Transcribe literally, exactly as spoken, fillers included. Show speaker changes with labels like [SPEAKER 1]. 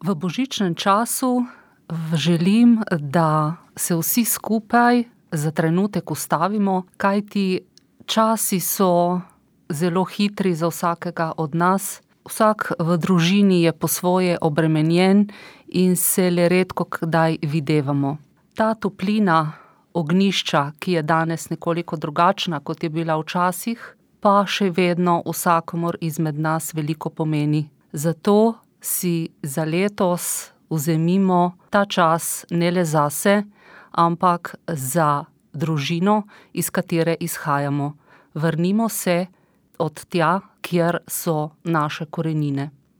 [SPEAKER 1] V božičnem času želim, da se vsi skupaj za trenutek ustavimo, kajti časi so zelo hitri za vsakega od nas. Vsak v družini je po svoje obremenjen in se le redkokdaj videvamo. Ta toplina ognjišča, ki je danes nekoliko drugačna, kot je bila včasih, pa še vedno vsakomur izmed nas veliko pomeni. Zato si za letos vzemimo ta čas ne le zase, ampak za družino, iz katere izhajamo. Vrnimo se od tja, kjer so naše korenine.